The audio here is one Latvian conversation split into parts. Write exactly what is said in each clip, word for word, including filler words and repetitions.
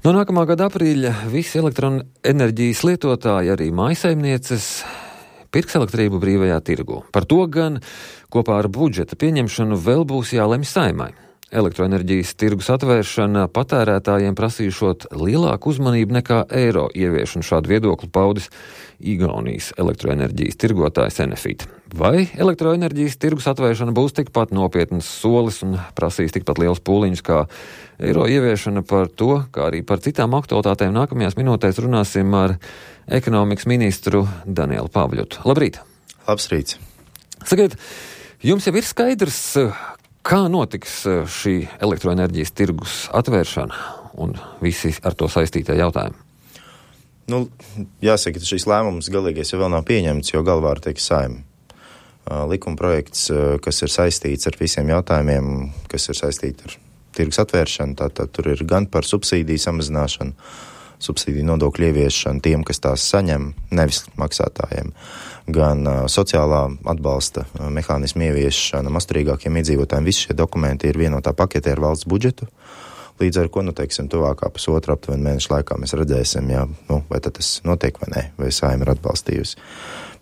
No nākamā gada aprīļa visi elektroenerģijas lietotāji, arī mājsaimnieces, pirks elektrību brīvajā tirgu. Par to gan kopā ar budžeta pieņemšanu vēl būs jālemj Saeimai. Elektroenerģijas tirgus atvēršana patērētājiem prasīšot lielāku uzmanību nekā eiro ieviešanu. Šādu viedokli paudis Igaunijas elektroenerģijas tirgotājs Enefit. Vai elektroenerģijas tirgus atvēršana būs tikpat nopietnas solis un prasīs tikpat liels pūliņus kā eiro ieviešana? Par to, kā arī par citām aktualitātēm nākamajās minūtēs runāsim ar ekonomikas ministru Danielu Pavļotu. Labrīt! Labs rīts! Sakiet, jums jau ir skaidrs, kā notiks šī elektroenerģijas tirgus atvēršana un visi ar to saistītie jautājumi? Nu, jāsaka, ka šīs lēmums galīgais jau vēl nav pieņemts, jo galvā ir teikt Saeima. Likuma projekts, kas ir saistīts ar visiem jautājumiem, kas ir saistīti ar tirgus atvēršanu, tātad tur ir gan par subsīdiju samazināšanu, subsīdiju nodokļu ieviešanu tiem, kas tās saņem, nevis maksātājiem, gan uh, sociālā atbalsta uh, mehānismu ieviešana masturīgākiem iedzīvotājiem. Visi šie dokumenti ir vienotā paketē ar valsts budžetu, līdz ar ko, nu, teiksim, tuvākā pusotra aptuveni mēnešu laikā mēs redzēsim, jā, nu, vai tad tas notiek vai nē, vai Saeima ir atbalstījusi.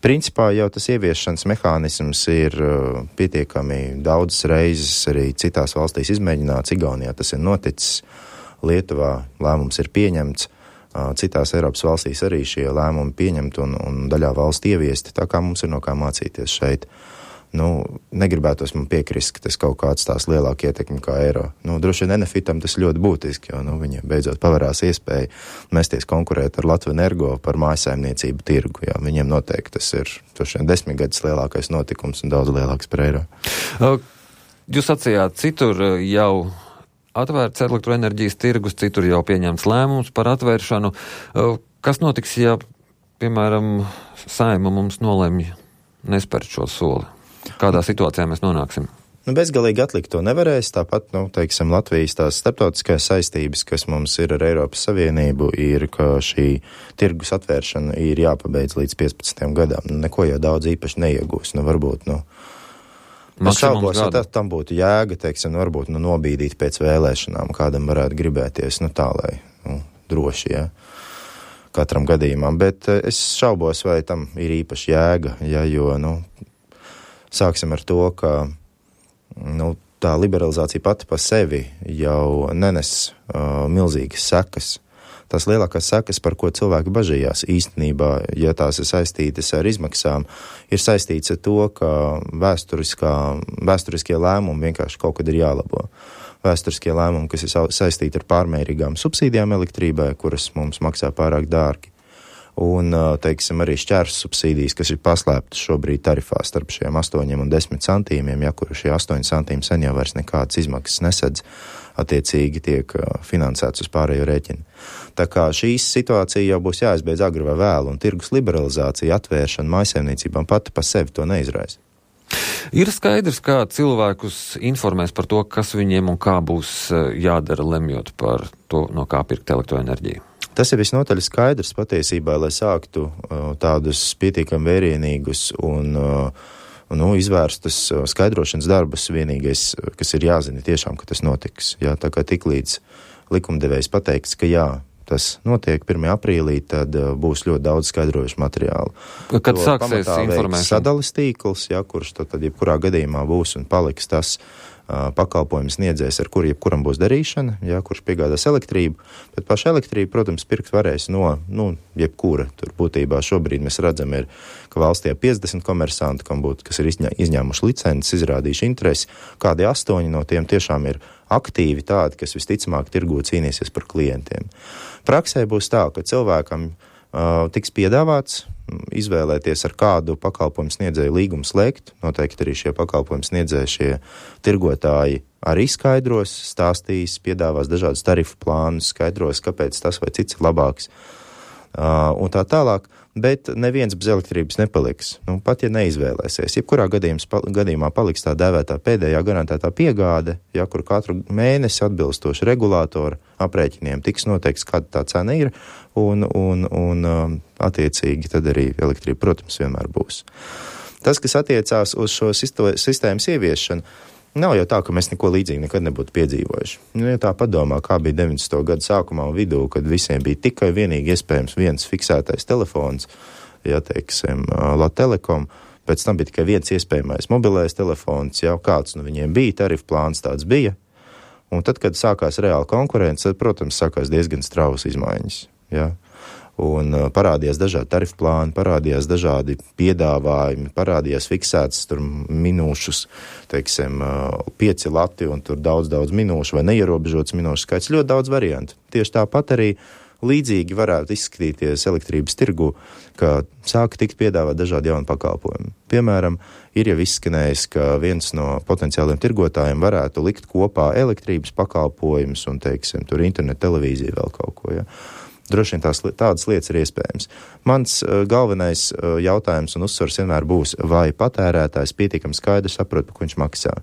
Principā jau tas ieviešanas mehānisms ir uh, pietiekami daudzas reizes arī citās valstīs izmēģināts. Igaunijā tas ir noticis, Lietuvā lēmums ir pieņemts, citās Eiropas valstīs arī šie lēmumi pieņemti un, un daļā valsts ieviesti, tā kā mums ir no kā mācīties šeit. Nu, negribētos man piekrist, ka tas kaut kāds tās lielāka ietekme kā eiro. Nu, droši vien Enefitam tas ļoti būtiski, jo, nu, viņiem beidzot pavarās iespēja mesties konkurēt ar Latviju Energo par mājsaimniecību tirgu, jā. Viņiem noteikti tas ir, droši vien, desmit gadus lielākais notikums un daudz lielāks par eiro. Jūs sacījāt, citur jau atvērts elektroenerģijas tirgus, citur jau pieņemts lēmums par atvēršanu. Kas notiks, ja, piemēram, Saeima mums nolemj nespērt šo soli? Kādā situācijā mēs nonāksim? Nu, bezgalīgi atlikt to nevarēs, tāpat, nu, teiksim, Latvijas tās starptautiskās saistības, kas mums ir ar Eiropas Savienību, ir, ka šī tirgus atvēršana ir jāpabeidz līdz piecpadsmitajam gadam. Nu, neko jau daudz īpaši neiegūs, nu, varbūt, nu, es šaubos, ja tā, tam būtu jēga, teiksim, varbūt, nu, nobīdīt pēc vēlēšanām, kādam varētu gribēties, nu, tā, lai, nu, droši, ja, katram gadījumam, bet es šaubos, vai tam ir īpaši jēga, ja, jo, nu, sāksim ar to, ka, nu, tā liberalizācija pati pa sevi jau nenes uh, milzīgas sekas. Tās lielākās sekas, par ko cilvēki bažījās īstenībā, ja tās ir saistītas ar izmaksām, ir saistīts ar to, ka vēsturiskie lēmumi vienkārši kaut kad ir jālabo. Vēsturiskie lēmumi, kas ir saistīti ar pārmērīgām subsīdijām elektrībai, kuras mums maksā pārāk dārgi, un, teiksim, arī šķērs subsīdijas, kas ir paslēptas šobrīd tarifā starp šiem astoņiem un desmit centīmiem, ja kur šie astoņi centīmi sen jau vairs nekādas izmaksas nesedz, attiecīgi tiek finansēts uz pārējo rēķinu. Tā kā šīs situācija jau būs jāizbeidz agri vai vēlu, un tirgus liberalizācija, atvēršana mājsaimniecībām pati pa sevi to neizraisa. Ir skaidrs, kā cilvēkus informēs par to, kas viņiem un kā būs jādara, lemjot par to, no kā pirkt elektroenerģiju. Tas ir visnotaļ skaidrs patiesībā, lai sāktu uh, tādus pietiekami vērienīgus un uh, nu, izvērstas uh, skaidrošanas darbus. Vienīgais, kas ir jāzina tiešām, ka tas notiks. Jā, tā kā tiklīdz likumdevējs pateiks, ka jā, tas notiek pirmajā aprīlī, tad uh, būs ļoti daudz skaidrojušu materiālu. Kad to sāksies informēšana? Sadales tīkls, jā, kurš tad, tad jebkurā gadījumā būs un paliks tas uh, pakalpojums sniedzējs, ar kuru jebkuram būs darīšana, jā, kurš piegādās elektrību, bet paša elektrība, protams, pirkt varēs no, nu, jebkura. Tur būtībā šobrīd mēs redzam, ir, ka valstī ir piecdesmit komersanti, kam būtu, kas ir izņā, izņēmuši licences, izrādījuši interesi, kādi astoņi no tiem tiešām ir aktīvi tādi, kas visticamāk tirgū cīnīsies par klientiem. Praksē būs tā, ka cilvēkam uh, tiks piedāvāts izvēlēties, ar kādu pakalpojumu sniedzēju līgumu slēgt. Noteikti arī šie pakalpojumu sniedzēji, šie tirgotāji arī skaidros, stāstīs, piedāvās dažādus tarifu plānus, skaidros, kāpēc tas vai cits ir labāks uh, un tā tālāk. Bet neviens bez elektrības nepaliks. Nu, pat ja neizvēlēsies. Jebkurā gadījumā paliks tā dēvētā pēdējā garantētā piegāde, ja kur katru mēnesi atbilstoši regulātoru aprēķiniem tiks noteikts, kāda tā cena ir, un, un, un um, attiecīgi tad arī elektrība, protams, vienmēr būs. Tas, kas attiecās uz šo sistēmas ieviešanu, Nav jau tā, ka mēs neko līdzīgi nekad nebūtu piedzīvojuši. Nu, ja tā padomā, kā bija deviņdesmito gadu sākumā un vidū, kad visiem bija tikai vienīgi iespējams viens fiksētais telefons, ja teiksim, Latvijas Telekom, pēc tam bija tikai viens iespējamais mobilais telefons, jau kāds nu viņiem bija, tarifu plāns tāds bija, un tad, kad sākās reāla konkurence, tad, protams, sākās diezgan strausas izmaiņas, ja. Un uh, parādījās dažādi tarifu plāni, parādījās dažādi piedāvājumi, parādījās fiksētas tur minūšus, teiksim, uh, pieci lati un tur daudz, daudz minūšu vai neierobežots minūšu skaits, ļoti daudz variantu. Tieši tāpat arī līdzīgi varētu izskatīties elektrības tirgu, ka sāka tikt piedāvāt dažādi jauni pakalpojumi. Piemēram, ir jau izskanējis, ka viens no potenciāliem tirgotājiem varētu likt kopā elektrības pakalpojumus un, teiksim, tur internetu televīziju vēl kaut ko, ja. Droši vien tās, tādas lietas ir iespējams. Mans uh, galvenais uh, jautājums un uzsvars vienmēr būs, vai patērētājs pietiekami skaidri saprot, par ko viņš maksā.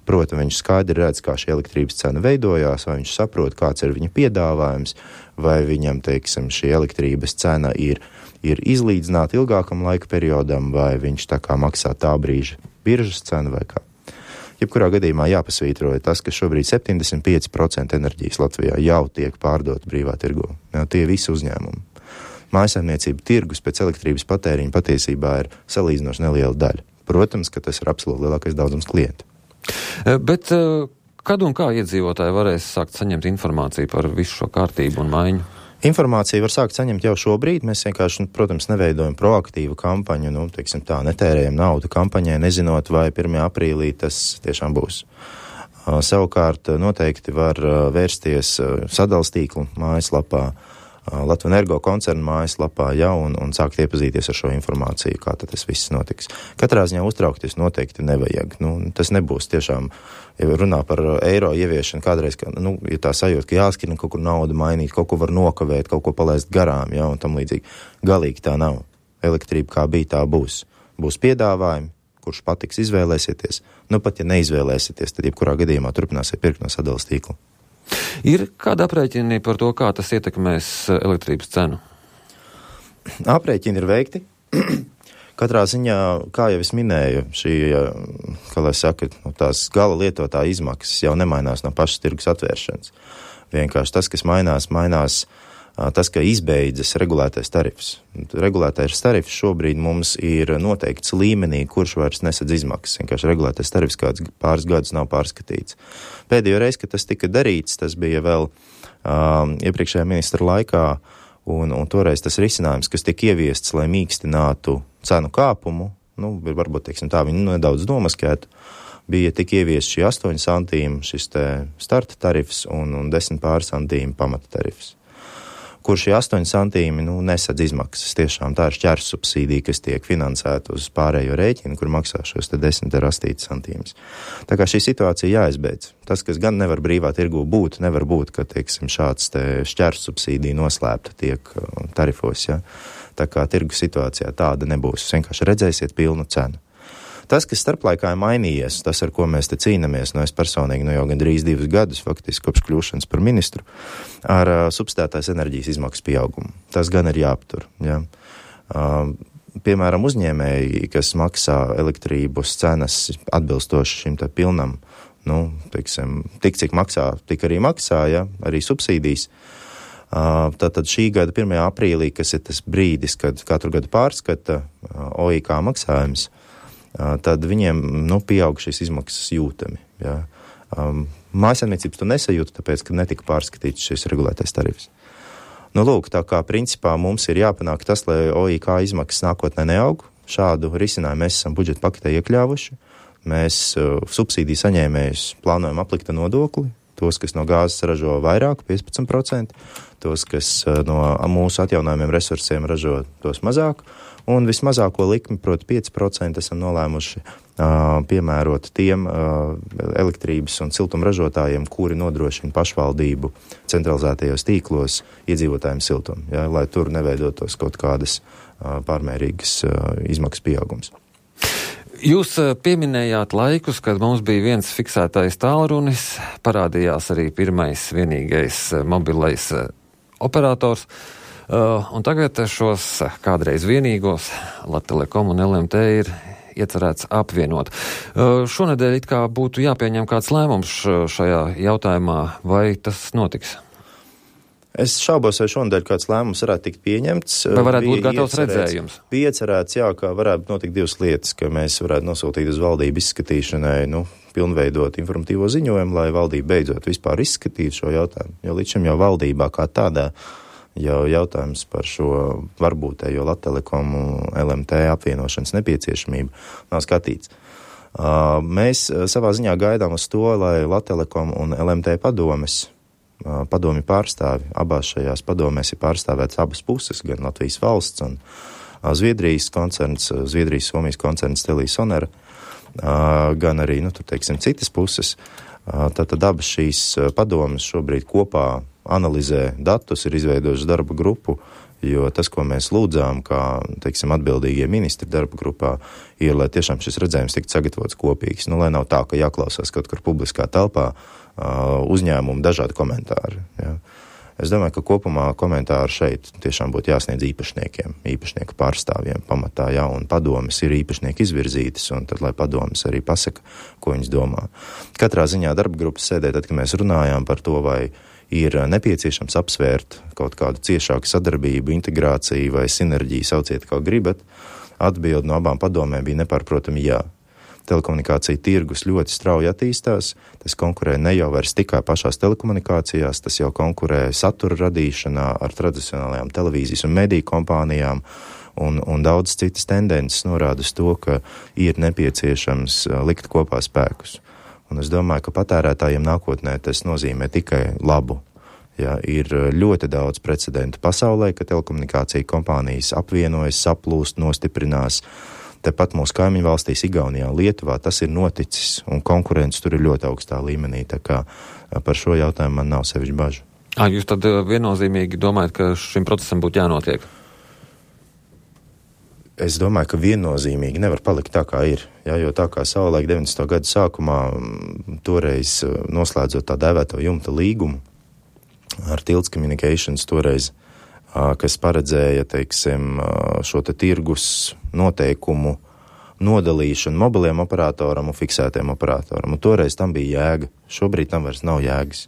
Proti, viņš skaidri redz, kā šī elektrības cena veidojās, vai viņš saprot, kāds ir viņa piedāvājums, vai viņam, teiksim, šī elektrības cena ir, ir izlīdzināta ilgākam laika periodam, vai viņš tā kā maksā tā brīža biržas cenu vai kā. Jebkurā gadījumā jāpasvītroja tas, ka šobrīd septiņdesmit pieci procenti enerģijas Latvijā jau tiek pārdot brīvā tirgu. Jā, tie visi uzņēmumi. Mājsaimniecība tirgus pēc elektrības patēriņa patiesībā ir salīdzinoši neliela daļa. Protams, ka tas ir absolūti lielākais daudzums klientu. Bet kad un kā iedzīvotāji varēs sākt saņemt informāciju par visu šo kārtību un maiņu? Informāciju var sākt saņemt jau šobrīd. Mēs vienkārši, protams, neveidojam proaktīvu kampaņu, nu, teiksim tā, netērējam naudu kampaņai, nezinot, vai pirmajā aprīlī tas tiešām būs. Uh, savukārt noteikti var uh, vērsties uh, sadales tīklu mājaslapā, uh, Latvijas Energo koncerna mājaslapā, ja, un, un sākt iepazīties ar šo informāciju, kā tad tas viss notiks. Katrā ziņā uztraukties noteikti nevajag. Nu, tas nebūs tiešām, ja runā par eiro ieviešanu kādreiz, ka, nu, ja tā sajūta, ka jāskrien kaut kur naudu mainīt, kaut ko var nokavēt, kaut ko palaist garām, ja, un tam līdzīgi. Galīgi tā nav. Elektrība kā bija, tā būs. Būs piedāvājumi, kurš patiks, izvēlēsieties. Nu, pat ja neizvēlēsieties, tad jebkurā gadījumā turpināsiet pirkt no sadales tīkla. Ir kāda aprēķini par to, kā tas ietekmēs elektrības cenu? Aprēķini ir veikti. Katrā ziņā, kā jau es minēju, šī, kā lai saka, tās gala lietotāja izmaksas jau nemainās no pašas tirgus atvēršanas. Vienkārši tas, kas mainās, mainās tas, ka izbeidzas regulētais tarifs. Regulētais tarifs šobrīd mums ir noteikts līmenī, kurš vairs nesadz izmaksas. Vienkārši regulētais tarifs kāds pāris gadus nav pārskatīts. Pēdējo reizi, kad tas tika darīts, tas bija vēl um, iepriekšējā ministra laikā, un, un toreiz tas risinājums, kas tika ieviests, lai mīkstinātu cenu kāpumu, nu, varbūt, teiksim tā, viņi nedaudz nomaskētu, bija tik ieviest šī astoņi santīmi, šis te starta tarifs un, un desmit pāri santīmi pamata tarifs. Kur šie astoņi santīmi, nu, nesadz izmaksas. Tiešām tā ir šķērs subsīdija, kas tiek finansēta uz pārējo rēķinu, kur maksā šos te desmit ar astīti santīmus. Tā kā šī situācija jāizbeidz. Tas, kas gan nevar brīvā tirgu būt, nevar būt, ka, teiksim, šāds te šķērs subsīdija noslēpta tiek tarifos, ja. Tā kā tirgu situācijā tāda nebūs. Jūs vienkārši redzēsiet pilnu cenu. Tas, kas starplaikā ir mainījies, tas, ar ko mēs te cīnamies, no es personīgi no jau gandrīz divus gadus, faktiski kopš kļūšanas par ministru, ar uh, substētās enerģijas izmaksu pieaugumu. Tas gan ir jāaptur. Ja? Uh, piemēram, uzņēmēji, kas maksā elektrības cenas atbilstoši šim te pilnam, nu, teiksim, tik cik maksā, tik arī maksā, ja? Arī subsīdijas. Uh, tātad šī gada pirmajā aprīlī, kas ir tas brīdis, kad katru gadu pārskata uh, O I K maksājums, tad viņiem, nu, pieaug šīs izmaksas jūtami. Ja. Um, Mājsaimniecības to nesajūta, tāpēc, ka netika pārskatīts šis regulētais tarifs. Nu, lūk, tā kā principā mums ir jāpanāk tas, lai O I K izmaksas nākotnē neaug. Šādu risinājumu mēs esam budžeta paketē iekļāvuši. Mēs uh, subsīdiju saņēmējus plānojam aplikt ar nodokli. Tos, kas no gāzes ražo vairāk, piecpadsmit procenti, tos, kas uh, no mūsu atjaunojumiem resursiem ražo tos mazāk. Un vismazāko likmi, proti pieci procenti, esam nolēmuši uh, piemērot tiem uh, elektrības un siltuma ražotājiem, kuri nodrošina pašvaldību centralizētajos tīklos iedzīvotājiem siltumu, ja, lai tur neveidotos kaut kādas uh, pārmērīgas uh, izmaksas pieaugums. Jūs pieminējāt laikus, kad mums bija viens fiksētais tālrunis, parādījās arī pirmais vienīgais mobilais operators. Uh, un tagad šos kādreiz vienīgos Latvijas Telekom un L M T ir iecerēts apvienot. Šonedēļ it kā būtu jāpieņem kāds lēmums šajā jautājumā, vai tas notiks? Es šaubos, vai šonadēļ kāds lēmums varētu tikt pieņemts. Vai varētu būt gatavs redzējums? Bija iecerēts, jā, ka varētu notikt divas lietas, ka mēs varētu nosūtīt uz valdību izskatīšanai, nu, pilnveidot informatīvo ziņojumu, lai valdība beidzot vispār izskatītu šo jautājumu. Jo līdz šim jau valdībā kā tādā jau jautājums par šo varbūtējo Latelekomu L M T apvienošanas nepieciešamību nav skatīts. Mēs savā ziņā gaidām uz to, lai Latelekom un L M T padomes padomi pārstāvi. Abās šajās padomēs ir pārstāvēts abas puses, gan Latvijas valsts un Zviedrijas koncerns, Zviedrijas Somijas koncerns Telisonera, gan arī, nu, tur teiksim, citas puses. Tātad abas šīs padomes šobrīd kopā analizē datus, ir izveidojuši darba grupu, jo tas, ko mēs lūdzām, kā, teiksim, atbildīgie ministri darba grupā, ir, lai tiešām šis redzējums tiktu sagatavots kopīgs. Nu, lai nav tā, ka jāklausās kaut kur publiskā telpā uzņēmumu dažādi komentāri. Ja. Es domāju, ka kopumā komentāri šeit tiešām būtu jāsniedz īpašniekiem, īpašnieku pārstāvjiem pamatā, jā, un padomes ir īpašnieki izvirzītas, un tad, lai padomes arī pasaka, ko viņas domā. Katrā ziņā darba grupas sēdē, tad, kad mēs runājām par to, vai ir nepieciešams apsvērt kaut kādu ciešāku sadarbību, integrāciju vai sinerģiju, sauciet, kā gribat, atbildi no abām padomēm bija nepārprotami jā. Telekomunikācija tirgus ļoti strauji attīstās, tas konkurē ne jau vairs tikai pašās telekomunikācijās, tas jau konkurē satura radīšanā ar tradicionālajām televīzijas un mediju kompānijām, un, un daudz citas tendences norāda uz to, ka ir nepieciešams likt kopā spēkus. Un es domāju, ka patērētājiem nākotnē tas nozīmē tikai labu. Ja, ir ļoti daudz precedentu pasaulē, ka telekomunikācija kompānijas apvienojas, saplūst, nostiprinās. Tepat mūsu kaimiņu valstīs, Igaunijā, Lietuvā, tas ir noticis, un konkurence tur ir ļoti augstā līmenī, tā kā par šo jautājumu man nav sevišķi bažu. À, jūs tad viennozīmīgi domājat, ka šim procesam būtu jānotiek? Es domāju, ka viennozīmīgi nevar palikt tā, kā ir, ja, jo tā kā savulaik deviņdesmito gadu sākumā toreiz noslēdzot tā dēvēto jumta līgumu ar Tilts Communications toreiz, kas paredzēja, teiksim, šo te tirgus noteikumu nodalīšanu mobiliem operatoram un fiksētiem operatoram. Un toreiz tam bija jēga. Šobrīd tam vairs nav jēgas.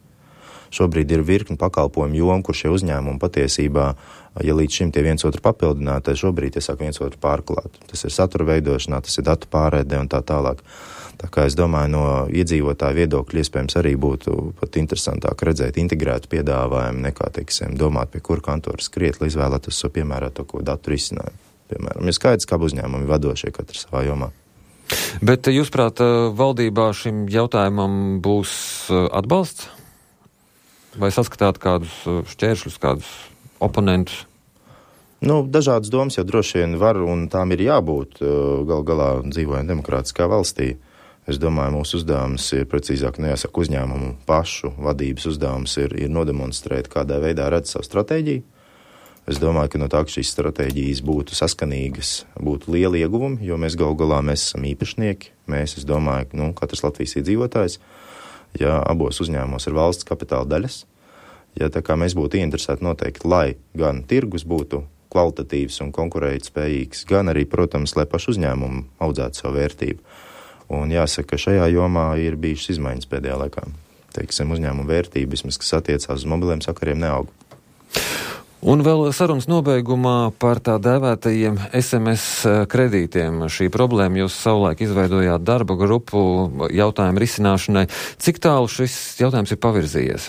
Šobrīd ir virkni pakalpojumu joma, kur šie uzņēmumi patiesībā, ja līdz šim tie viens otru papildināti, tad šobrīd tie sāk viens otru pārklāt. Tas ir satura veidošanā, tas ir datu pārēdē un tā tālāk. Tā kā es domāju, no iedzīvotāju viedokļa iespējams arī būtu pat interesantāk redzēt integrētu piedāvājumu nekā, teiksim, domāt, pie kura kantora skriet, lai izvēlētos savu piemēroto ko datu risinājumu. Piemēram, ir skaidrs, kā uzņēmumi vadošie katrs savā jomā. Bet jūsuprāt, valdībā šim jautājumam būs atbalsts? Vai saskatāt kādus šķēršļus, kādus oponentus? Nu, dažādas domas jau droši vien var un tām ir jābūt. Gal galā dzīvojam demokrātiskā valstī. Es domāju, mūsu uzdevums ir precīzāk nejāsaka uzņēmumu pašu vadības uzdevums ir, ir nodemonstrēt, kādā veidā redz savu stratēģiju. Es domāju, ka no tā, ka šīs stratēģijas būtu saskanīgas, būtu lieli ieguvumi, jo mēs gal galā mēs esam īpašnieki. Mēs, es domāju, nu, katrs Latvijas iedzīvotājs, ja abos uzņēmumos ir valsts kapitāla daļas, ja tā kā mēs būtu ieinteresēti noteikti, lai gan tirgus būtu kvalitatīvs un konkurētspējīgs, gan arī, protams, lai pašu uzņēmumu audzētu savu vērtību. Un jāsaka, ka šajā jomā ir bijušas izmaiņas pēdējā laikā. Teiksim, uzņēmuma vērtība, vismaz, kas attiecās uz mobiliem sakariem, neaug. Un vēl sarunas nobeigumā par tā dēvētajiem S M S kredītiem. Šī problēma jūs savulaik izveidojāt darba grupu jautājumu risināšanai. Cik tālu šis jautājums ir pavirzījies?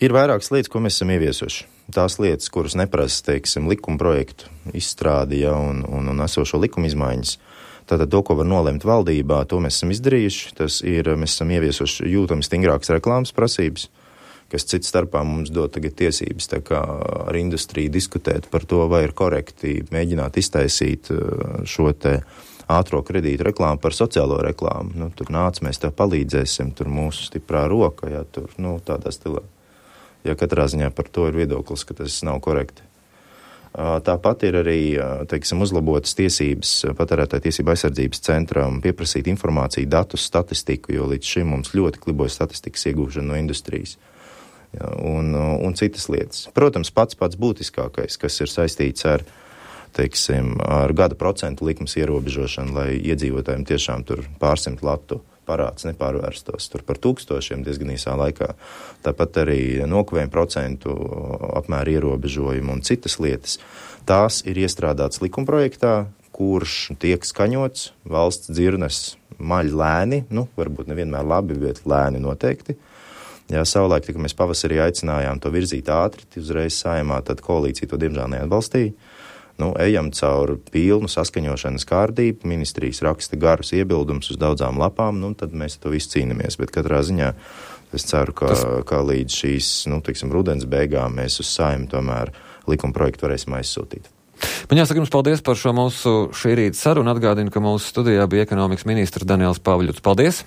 Ir vairākas lietas, ko mēs esam ieviesuši. Tās lietas, kuras neprasa, teiksim, likuma projektu izstrādi, ja, un, un, un esošo likuma izmaiņas. Tātad to, ko var nolemt valdībā, to mēs esam izdarījuši. Tas ir, mēs esam ieviesuši jūtami stingrākas reklāmas prasības, kas cits starpā mums dod tagad tiesības tā kā ar industriju diskutēt par to, vai ir korekti mēģināt iztaisīt šo te ātro kredītu reklāmu par sociālo reklāmu. Nu, tur nāc, mēs tev palīdzēsim, tur mūsu stiprā roka, ja tur, nu, tādā stilā. Ja katrā ziņā par to ir viedoklis, ka tas nav korekti. Tāpat ir arī, teiksim, uzlabotas tiesības patērētāju tiesību aizsardzības centram pieprasīt informāciju, datus, statistiku, jo līdz šim mums ļoti kliboja statistikas iegūšana no industrijas. Ja, un, un citas lietas. Protams, pats pats būtiskākais, kas ir saistīts ar teiksim, ar gada procentu likmes ierobežošanu, lai iedzīvotājiem tiešām tur pārsimt latu parāds nepārvērstos tur par tūkstošiem diezgan īsā laikā. Tāpat arī nokavējuma procentu apmēra ierobežojumu un citas lietas. Tās ir iestrādāts likumprojektā, kurš tiek skaņots, valsts dzirnes maļ lēni, nu, varbūt nevienmēr labi, bet lēni noteikti. Jā, savulaik, kad mēs pavasarī aicinājām to virzīt ātri, uzreiz Saeimā, tad koalīcija to diemžēl neatbalstīja. Nu, ejam caur pilnu saskaņošanas kārtību, ministrijas raksta garus iebildumus uz daudzām lapām, nu, tad mēs to visu cīnamies, bet katrā ziņā es ceru, ka, Tas... ka līdz šīs, nu, tiksim, rudens beigām mēs uz Saeimu tomēr likuma projektu varēsim aizsūtīt. Man jāsaka jums paldies par šo mūsu šī rīta sarunu. Atgādinu, ka mūsu studijā bija ekonomikas ministrs Daniels Pavļuts. Paldies!